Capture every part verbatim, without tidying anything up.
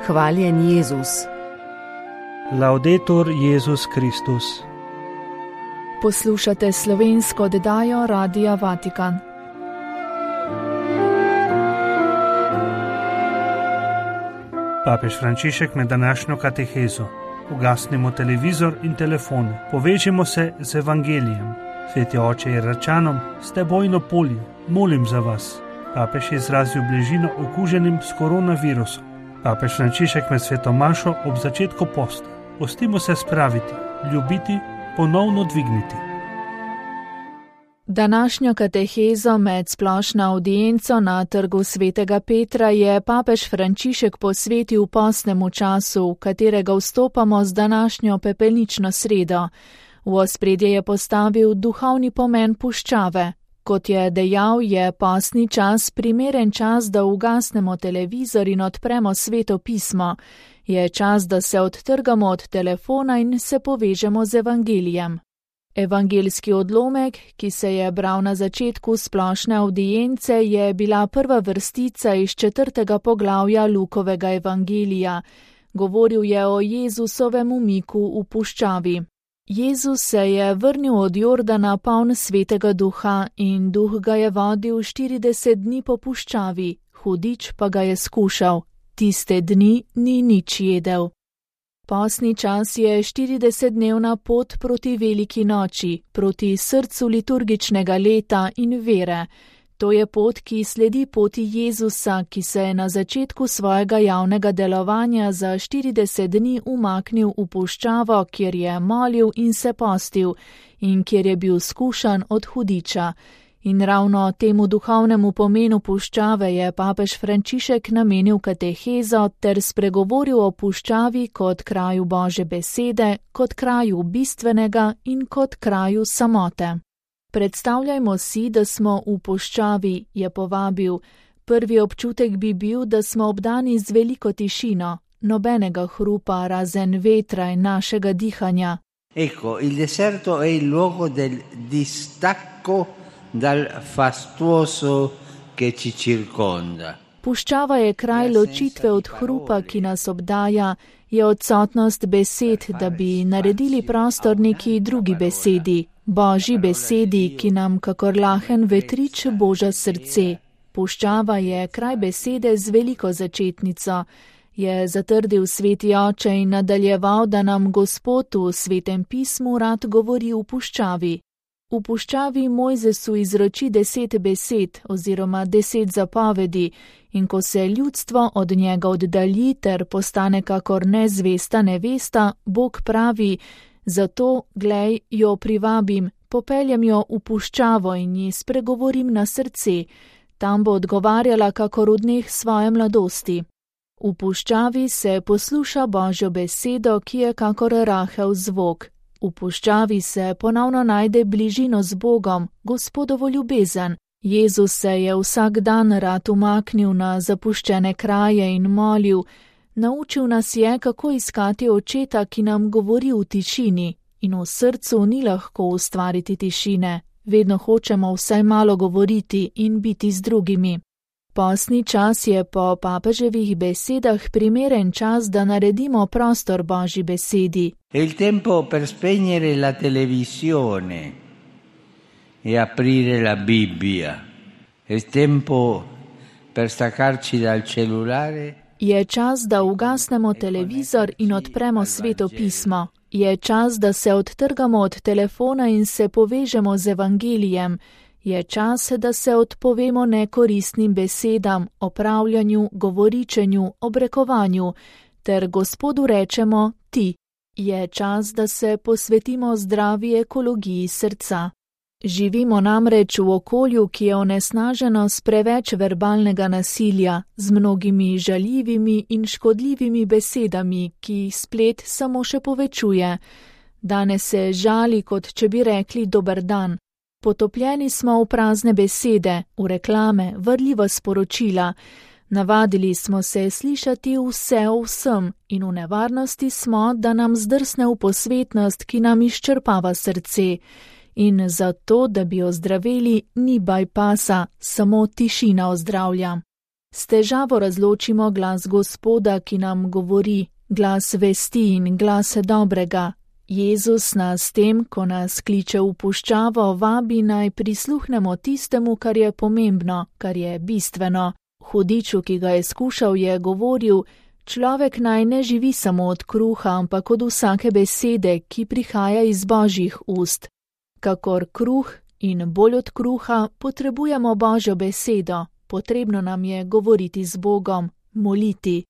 Hvaljen Jezus. Laudetur Jezus Kristus. Poslušate slovensko oddajo Radia Vatikan. Papež Frančišek med današnjo katehezo. Ugasnimo televizor in telefone, povežimo se z evangelijem. Sveti oče Iračanom, ste bojno polje, molim za vas. Papež je izrazil bližino okuženim s koronavirusom. Papež Frančišek med sveto mašo ob začetku posta. Pustimo se spraviti, ljubiti, ponovno dvigniti. Današnjo katehezo med splošno avdienco na trgu svetega Petra je papež Frančišek posvetil postnemu času, v katerega vstopamo z današnjo pepelnično sredo. V ospredje je postavil duhovni pomen puščave. Kot je dejal, je postni čas primeren čas, da ugasnemo televizor in odpremo sveto pismo. Je čas, da se odtrgamo od telefona in se povežemo z evangelijem. Evangeljski odlomek, ki se je bral na začetku splošne avdience, je bila prva vrstica iz četrtega poglavja Lukovega evangelija. Govoril je o Jezusovem umiku v puščavi. Jezus se je vrnil od Jordana poln svetega duha in duh ga je vodil štirideset dni po puščavi, hudič pa ga je skušal. Tiste dni ni nič jedel. Postni čas je štiridesetdnevna pot proti veliki noči, proti srcu liturgičnega leta in vere. To je pot, ki sledi poti Jezusa, ki se je na začetku svojega javnega delovanja za štirideset dni umaknil v puščavo, kjer je molil in se postil in kjer je bil skušan od hudiča. In ravno temu duhovnemu pomenu puščave je papež Frančišek namenil katehezo ter spregovoril o puščavi kot kraju Božje besede, kot kraju bistvenega in kot kraju samote. Predstavljajmo si, da smo v puščavi, je povabil. Prvi občutek bi bil, da smo obdani z veliko tišino, nobenega hrupa razen vetra in našega dihanja. Ecco, il deserto è il luogo del distacco dal fastuoso che ci circonda. Puščava je kraj ločitve od hrupa, ki nas obdaja, je odsotnost besed, da bi naredili prostor neki drugi besedi, Božji besedi, ki nam kakor lahen vetrič boža srce. Puščava je kraj besede z veliko začetnico, je zatrdil sveti oče in nadaljeval, da nam Gospod v svetem pismu rad govori v puščavi. V puščavi Mojzesu izroči deset besed oziroma deset zapovedi in ko se ljudstvo od njega oddalji ter postane kakor nezvesta nevesta, Bog pravi: zato, glej, jo privabim, popeljem jo v puščavo in ji spregovorim na srce, tam bo odgovarjala kakor v dneh svoje mladosti. V puščavi se posluša Božjo besedo, ki je kakor rahel zvok. V puščavi se ponovno najde bližino z Bogom, Gospodovo ljubezen. Jezus se je vsak dan rad umaknil na zapuščene kraje in molil. Naučil nas je, kako iskati očeta, ki nam govori v tišini. In v srcu ni lahko ustvariti tišine. Vedno hočemo vsaj malo govoriti in biti z drugimi. Postni čas je po papeževih besedah primeren čas, da naredimo prostor Božji besedi. È il tempo per spegnere la televisione e aprire la Bibbia. È il tempo per staccarci dal cellulare. Je čas, da ugasnemo televizor in odpremo sveto pismo. Je čas, da se odtrgamo od telefona in se povežemo z evangelijem. Je čas, da se odpovemo nekoristnim besedam, opravljanju, govoričenju, obrekovanju, ter Gospodu rečemo ti. Je čas, da se posvetimo zdravi ekologiji srca. Živimo namreč v okolju, ki je onesnaženo s preveč verbalnega nasilja, z mnogimi žaljivimi in škodljivimi besedami, ki jih splet samo še povečuje. Danes se žali, kot če bi rekli dober dan. Potopljeni smo v prazne besede, v reklame, vrljiva sporočila. Navadili smo se slišati vse o vsem in v nevarnosti smo, da nam zdrsne v posvetnost, ki nam izčrpava srce. In zato, da bi ozdraveli, ni bypassa, samo tišina ozdravlja. S težavo razločimo glas Gospoda, ki nam govori, glas vesti in glas dobrega. Jezus nas tem, ko nas kliče v puščavo, vabi naj prisluhnemo tistemu, kar je pomembno, kar je bistveno. Hudiču, ki ga je skušal, je govoril, človek naj ne živi samo od kruha, ampak od vsake besede, ki prihaja iz Božjih ust. Kakor kruh in bolj od kruha potrebujemo Božjo besedo, potrebno nam je govoriti z Bogom, moliti.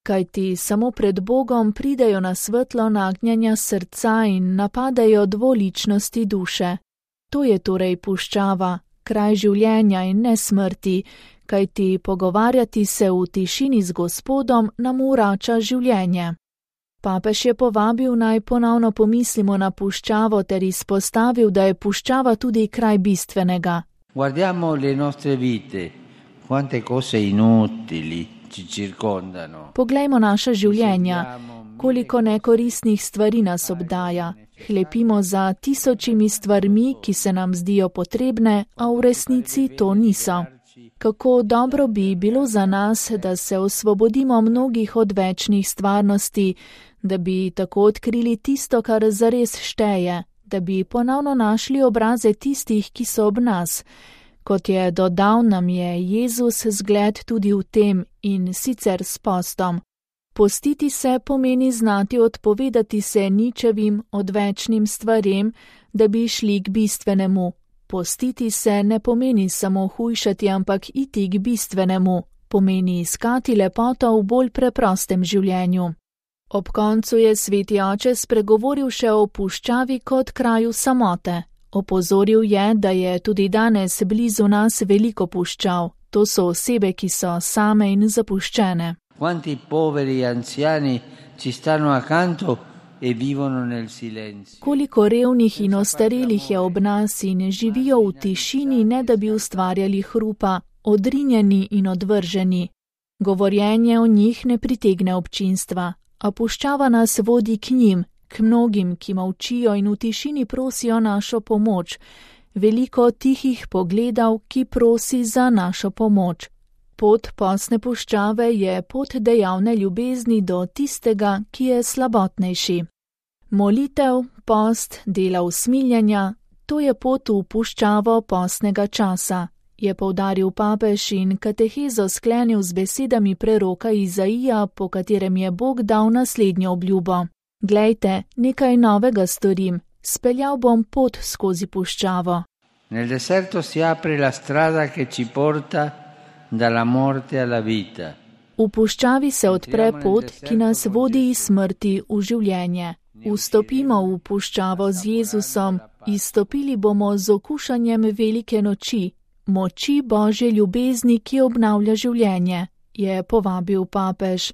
Kajti samo pred Bogom pridejo na svetlo nagnjenja srca in napadajo dvoličnosti duše. To je torej puščava, kraj življenja in ne smrti, kajti pogovarjati se v tišini z Gospodom nam vrača življenje. Papež je povabil naj ponovno pomislimo na puščavo ter izpostavil, da je puščava tudi kraj bistvenega. Guardiamo le nostre vite, quante cose inutili. Poglejmo naša življenja, koliko nekoristnih stvari nas obdaja. Hlepimo za tisočimi stvarmi, ki se nam zdijo potrebne, a v resnici to niso. Kako dobro bi bilo za nas, da se osvobodimo mnogih odvečnih stvarnosti, da bi tako odkrili tisto, kar zares šteje, da bi ponovno našli obraze tistih, ki so ob nas. Kot je dodal, nam je Jezus zgled tudi v tem in sicer s postom. Postiti se pomeni znati odpovedati se ničevim odvečnim stvarem, da bi šli k bistvenemu. Postiti se ne pomeni samo hujšati, ampak iti k bistvenemu. Pomeni iskati lepoto v bolj preprostem življenju. Ob koncu je sveti oče spregovoril še o puščavi kot kraju samote. Opozoril je, da je tudi danes blizu nas veliko puščav. To so osebe, ki so same in zapuščene. Quanti poveri anziani ci stanno accanto e vivono nel silenzio. Koliko revnih in ostarelih je ob nas in živijo v tišini, ne da bi ustvarjali hrupa, odrinjeni in odvrženi. Govorjenje o njih ne pritegne občinstva, a puščava nas vodi k njim, k mnogim, ki molčijo in v tišini prosijo našo pomoč, veliko tihih pogledov, ki prosi za našo pomoč. Pot postne puščave je pot dejavne ljubezni do tistega, ki je slabotnejši. Molitev, post, dela usmiljenja, to je pot v puščavo postnega časa, je poudaril papež in katehezo sklenil z besedami preroka Izaija, po katerem je Bog dal naslednjo obljubo. Glejte, nekaj novega storim, speljal bom pot skozi puščavo. Nel deserto si apre la strada che ci porta dalla morte alla vita. V puščavi se odpre pot, ki nas vodi iz smrti v življenje. Vstopimo v puščavo z Jezusom, izstopili bomo z okušanjem velike noči, moči Božje ljubezni, ki obnavlja življenje, je povabil papež.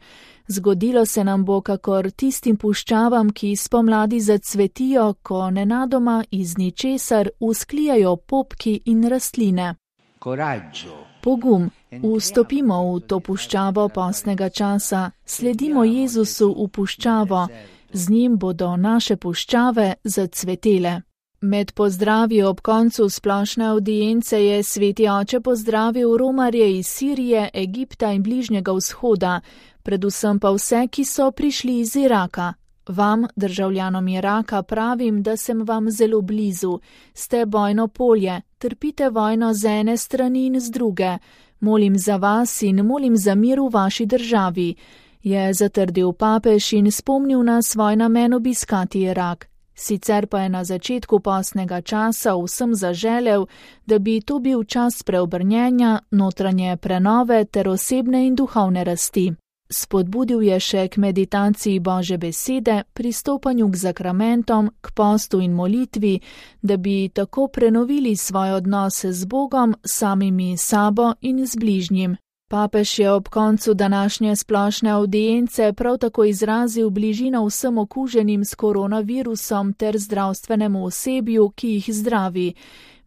Zgodilo se nam bo kakor tistim puščavam, ki spomladi zacvetijo, ko nenadoma iz ničesar vzklijajo popki in rastline. Coraggio. Pogum, vstopimo v to puščavo postnega časa, sledimo Jezusu v puščavo, z njim bodo naše puščave zacvetele. Med pozdravi ob koncu splošne avdience je sveti oče pozdravil romarje iz Sirije, Egipta in Bližnjega vzhoda, predvsem pa vse, ki so prišli iz Iraka. Vam, državljanom Iraka, pravim, da sem vam zelo blizu. Ste bojno polje, trpite vojno z ene strani in z druge. Molim za vas in molim za mir v vaši državi, je zatrdil papež in spomnil na svoj namen obiskati Irak. Sicer pa je na začetku postnega časa vsem zaželel, da bi to bil čas preobrnjenja, notranje prenove ter osebne in duhovne rasti. Spodbudil je še k meditaciji Božje besede, pristopanju k zakramentom, k postu in molitvi, da bi tako prenovili svoj odnos z Bogom, samimi sabo in z bližnjim. Papež je ob koncu današnje splošne avdience prav tako izrazil bližino vsem okuženim s koronavirusom ter zdravstvenemu osebju, ki jih zdravi.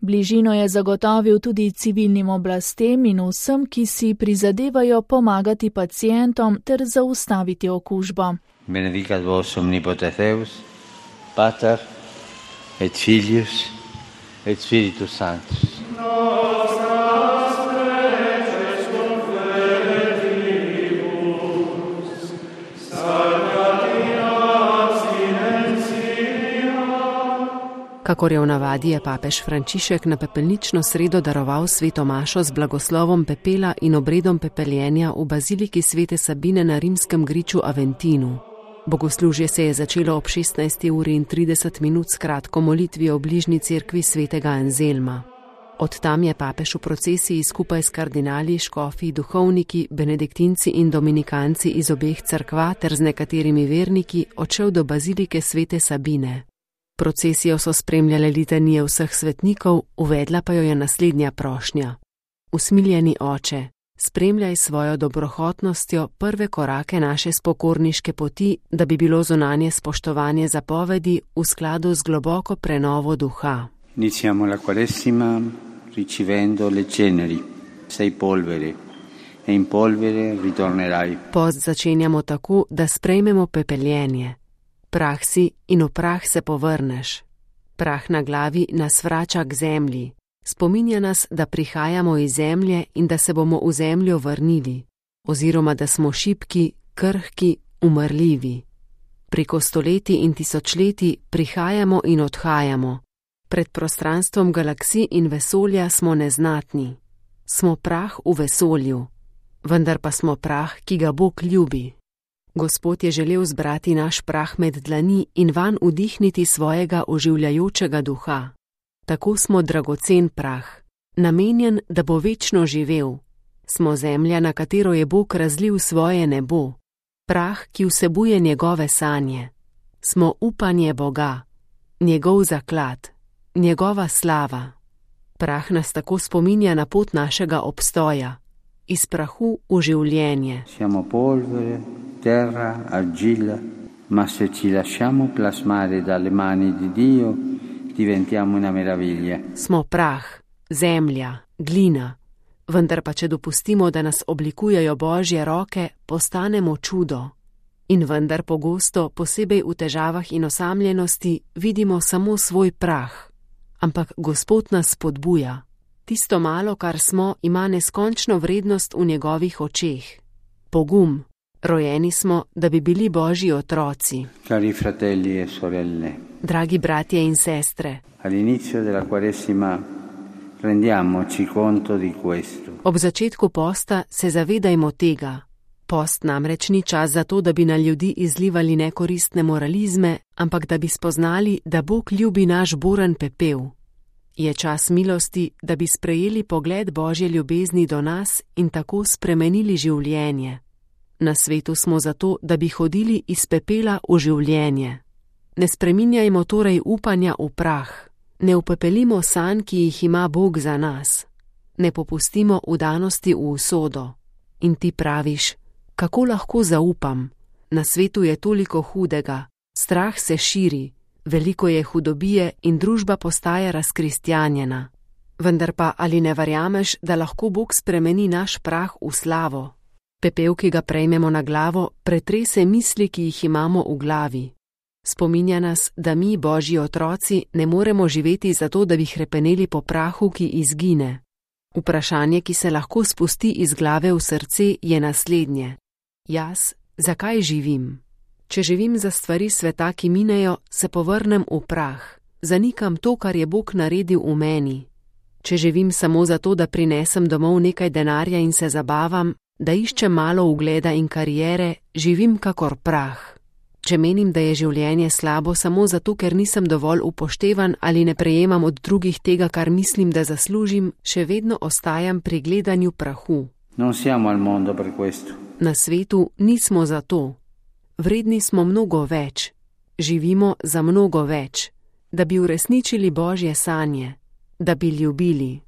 Bližino je zagotovil tudi civilnim oblastem in vsem, ki si prizadevajo pomagati pacientom ter zaustaviti okužbo. Benedicat vos omnipotens Deus, Pater et Filius et Spiritus Sanctus. Kakor je v navadi, je papež Frančišek na pepelnično sredo daroval sveto mašo z blagoslovom pepela in obredom pepeljenja v baziliki svete Sabine na rimskem griču Aventinu. Bogoslužje se je začelo ob šestnajsti uri in trideset minut s kratko molitvijo v bližnji cerkvi svetega Anzelma. Od tam je papež v procesiji skupaj s kardinali, škofi, duhovniki, benediktinci in dominikanci iz obeh cerkva ter z nekaterimi verniki odšel do bazilike svete Sabine. Procesijo so spremljale litanije vseh svetnikov, uvedla pa jo je naslednja prošnja. Usmiljeni oče, spremljaj svojo dobrohotnostjo prve korake naše spokorniške poti, da bi bilo zunanje spoštovanje zapovedi v skladu z globoko prenovo duha. Iniziamo la Quaresima ricevendo le ceneri. Sei polvere e in polvere ritornerai. Post začenjamo tako, da sprejmemo pepeljenje. Prah si in v prah se povrneš. Prah na glavi nas vrača k zemlji. Spominja nas, da prihajamo iz zemlje in da se bomo v zemljo vrnili, oziroma da smo šibki, krhki, umrljivi. Preko stoletij in tisočletij prihajamo in odhajamo. Pred prostranstvom galaksij in vesolja smo neznatni. Smo prah v vesolju, vendar pa smo prah, ki ga Bog ljubi. Gospod je želel zbrati naš prah med dlani in vanj vdihniti svojega oživljajočega duha. Tako smo dragocen prah, namenjen, da bo večno živel. Smo zemlja, na katero je Bog razlil svoje nebo. Prah, ki vsebuje njegove sanje. Smo upanje Boga, njegov zaklad, njegova slava. Prah nas tako spominja na pot našega obstoja, iz prahu v življenje. Siamo polvere, terra, argilla, ma se ci lasciamo plasmare dalle mani di Dio, diventiamo una meraviglia. Smo prah, zemlja, glina, vendar pa če dopustimo, da nas oblikujejo Božje roke, postanemo čudo. In vendar pogosto, posebej v težavah in osamljenosti, vidimo samo svoj prah. Ampak Gospod nas spodbuja. Tisto malo, kar smo, ima neskončno vrednost v njegovih očeh. Pogum. Rojeni smo, da bi bili Božji otroci. Cari fratelli e sorelle. Dragi bratje in sestre. All'inizio della Quaresima rendiamoci conto di questo. Ob začetku posta se zavedajmo tega. Post namreč ni čas za to, da bi na ljudi izlivali nekoristne moralizme, ampak da bi spoznali, da Bog ljubi naš buren pepel. Je čas milosti, da bi sprejeli pogled Božje ljubezni do nas in tako spremenili življenje. Na svetu smo zato, da bi hodili iz pepela v življenje. Ne spreminjajmo torej upanja v prah, ne upepelimo sanj, ki jih ima Bog za nas. Ne popustimo vdanosti v usodo. In ti praviš, kako lahko zaupam? Na svetu je toliko hudega, strah se širi, veliko je hudobije in družba postaja razkristjanjena. Vendar pa ali ne verjameš, da lahko Bog spremeni naš prah v slavo? Pepel, ki ga prejmemo na glavo, pretrese misli, ki jih imamo v glavi. Spominja nas, da mi, Božji otroci, ne moremo živeti zato, da bi hrepeneli po prahu, ki izgine. Vprašanje, ki se lahko spusti iz glave v srce, je naslednje. Jaz, zakaj živim? Če živim za stvari sveta, ki minejo, se povrnem v prah. Zanikam to, kar je Bog naredil v meni. Če živim samo zato, da prinesem domov nekaj denarja in se zabavam, da iščem malo ugleda in kariere, živim kakor prah. Če menim, da je življenje slabo samo zato, ker nisem dovolj upoštevan ali ne prejemam od drugih tega, kar mislim, da zaslužim, še vedno ostajam pri gledanju prahu. Non siamo al mondo per questo. Na svetu nismo za to. Vredni smo mnogo več. Živimo za mnogo več. Da bi uresničili Božje sanje. Da bi ljubili.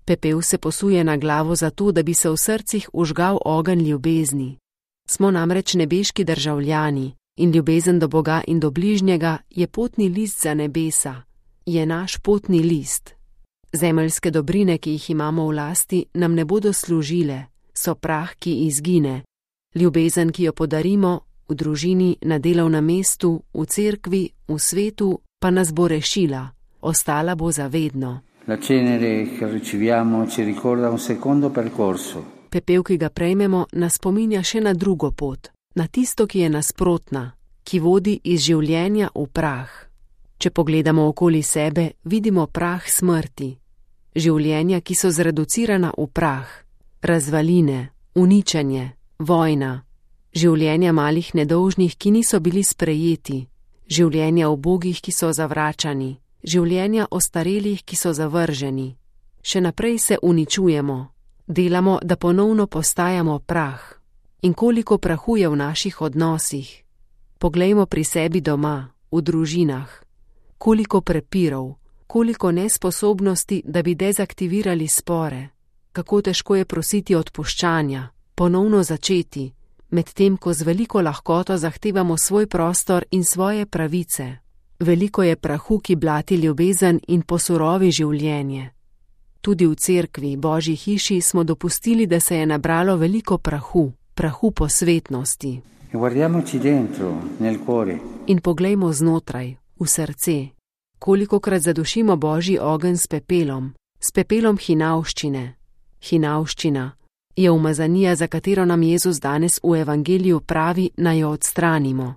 Pepel se posuje na glavo zato, da bi se v srcih užgal ogenj ljubezni. Smo namreč nebeški državljani in ljubezen do Boga in do bližnjega je potni list za nebesa. Je naš potni list. Zemeljske dobrine, ki jih imamo v lasti, nam ne bodo služile. So prah, ki izgine. Ljubezen, ki jo podarimo v družini, na delovnem mestu, v cerkvi, v svetu, pa nas bo rešila. Ostala bo zavedno. La cenere che riceviamo ci ricorda un secondo percorso. Pepel, ki ga prejmemo, nas spominja še na drugo pot, na tisto, ki je nasprotna, ki vodi iz življenja v prah. Če pogledamo okoli sebe, vidimo prah smrti. Življenja, ki so zreducirana v prah, razvaline, uničenje, vojna. Življenja malih nedolžnih, ki niso bili sprejeti. Življenja ubogih, ki so zavračani. Življenja ostarelih, ki so zavrženi. Še naprej se uničujemo. Delamo, da ponovno postajamo prah. In koliko prahu je v naših odnosih. Poglejmo pri sebi doma, v družinah. Koliko prepirov, koliko nesposobnosti, da bi dezaktivirali spore. Kako težko je prositi odpuščanja, ponovno začeti, medtem ko z veliko lahkoto zahtevamo svoj prostor in svoje pravice. Veliko je prahu, ki blati ljubezen in posurovi življenje. Tudi v cerkvi, Božji hiši, smo dopustili, da se je nabralo veliko prahu, prahu posvetnosti. In poglejmo znotraj, v srce. Kolikokrat zadušimo Božji ogenj s pepelom, s pepelom hinavščine. Hinavščina je umazanija, za katero nam Jezus danes v evangeliju pravi, naj jo odstranimo.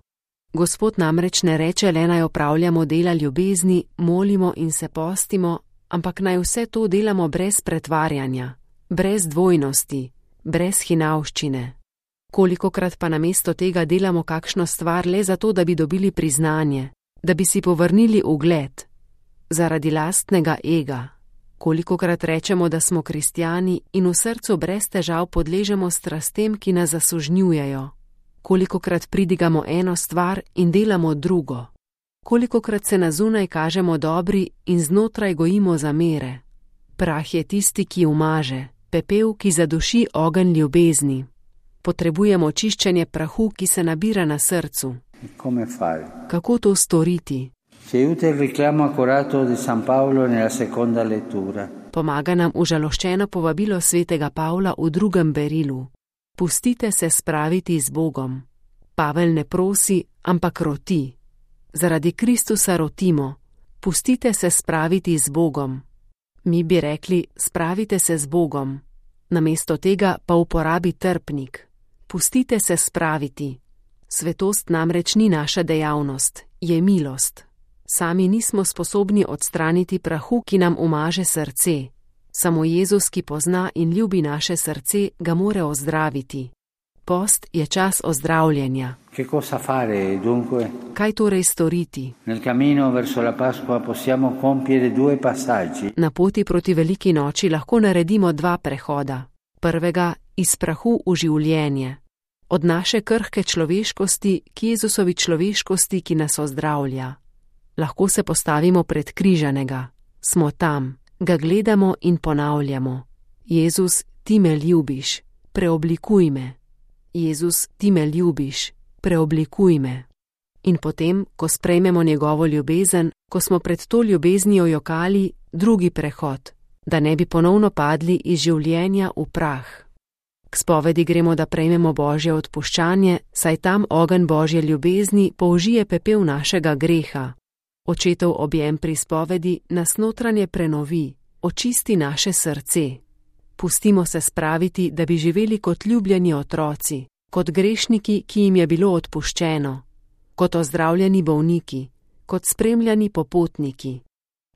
Gospod namreč ne reče le, naj opravljamo dela ljubezni, molimo in se postimo, ampak naj vse to delamo brez pretvarjanja, brez dvojnosti, brez hinavščine. Kolikokrat pa namesto tega delamo kakšno stvar le zato, da bi dobili priznanje, da bi si povrnili ugled, zaradi lastnega ega. Kolikokrat rečemo, da smo kristjani in v srcu brez težav podležemo strastem, ki nas zasužnjujejo. Kolikokrat pridigamo eno stvar in delamo drugo. Kolikokrat se na zunaj kažemo dobri in znotraj gojimo zamere. Prah je tisti, ki umaže, pepel, ki zaduši ogenj ljubezni. Potrebujemo čiščenje prahu, ki se nabira na srcu. Kako to storiti? Pomaga nam užaloščeno povabilo svetega Pavla v drugem berilu. Pustite se spraviti z Bogom. Pavel ne prosi, ampak roti. Zaradi Kristusa rotimo. Pustite se spraviti z Bogom. Mi bi rekli, spravite se z Bogom. Namesto tega pa uporabi trpnik. Pustite se spraviti. Svetost namreč ni naša dejavnost, je milost. Sami nismo sposobni odstraniti prahu, ki nam umaže srce. Samo Jezus, ki pozna in ljubi naše srce, ga more ozdraviti. Post je čas ozdravljenja. Kaj torej storiti? Na poti proti veliki noči lahko naredimo dva prehoda. Prvega iz prahu v življenje. Od naše krhke človeškosti k Jezusovi človeškosti, ki nas ozdravlja. Lahko se postavimo pred križanega. Smo tam, ga gledamo in ponavljamo. Jezus, ti me ljubiš, preoblikuj me. Jezus, ti me ljubiš, preoblikuj me. In potem, ko sprejmemo njegovo ljubezen, ko smo pred to ljubeznijo jokali, drugi prehod, da ne bi ponovno padli iz življenja v prah. K spovedi gremo, da prejmemo Božje odpuščanje, saj tam ogenj Božje ljubezni použije pepel našega greha. Očetov objem pri spovedi nas notranje prenovi, očisti naše srce. Pustimo se spraviti, da bi živeli kot ljubljeni otroci, kot grešniki, ki jim je bilo odpuščeno, kot ozdravljeni bolniki, kot spremljani popotniki.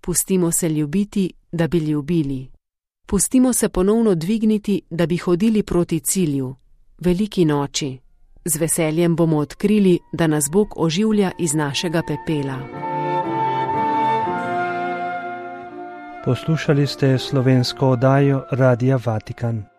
Pustimo se ljubiti, da bi ljubili. Pustimo se ponovno dvigniti, da bi hodili proti cilju, veliki noči. Z veseljem bomo odkrili, da nas Bog oživlja iz našega pepela. Poslušali ste slovensko oddajo Radia Vatikan.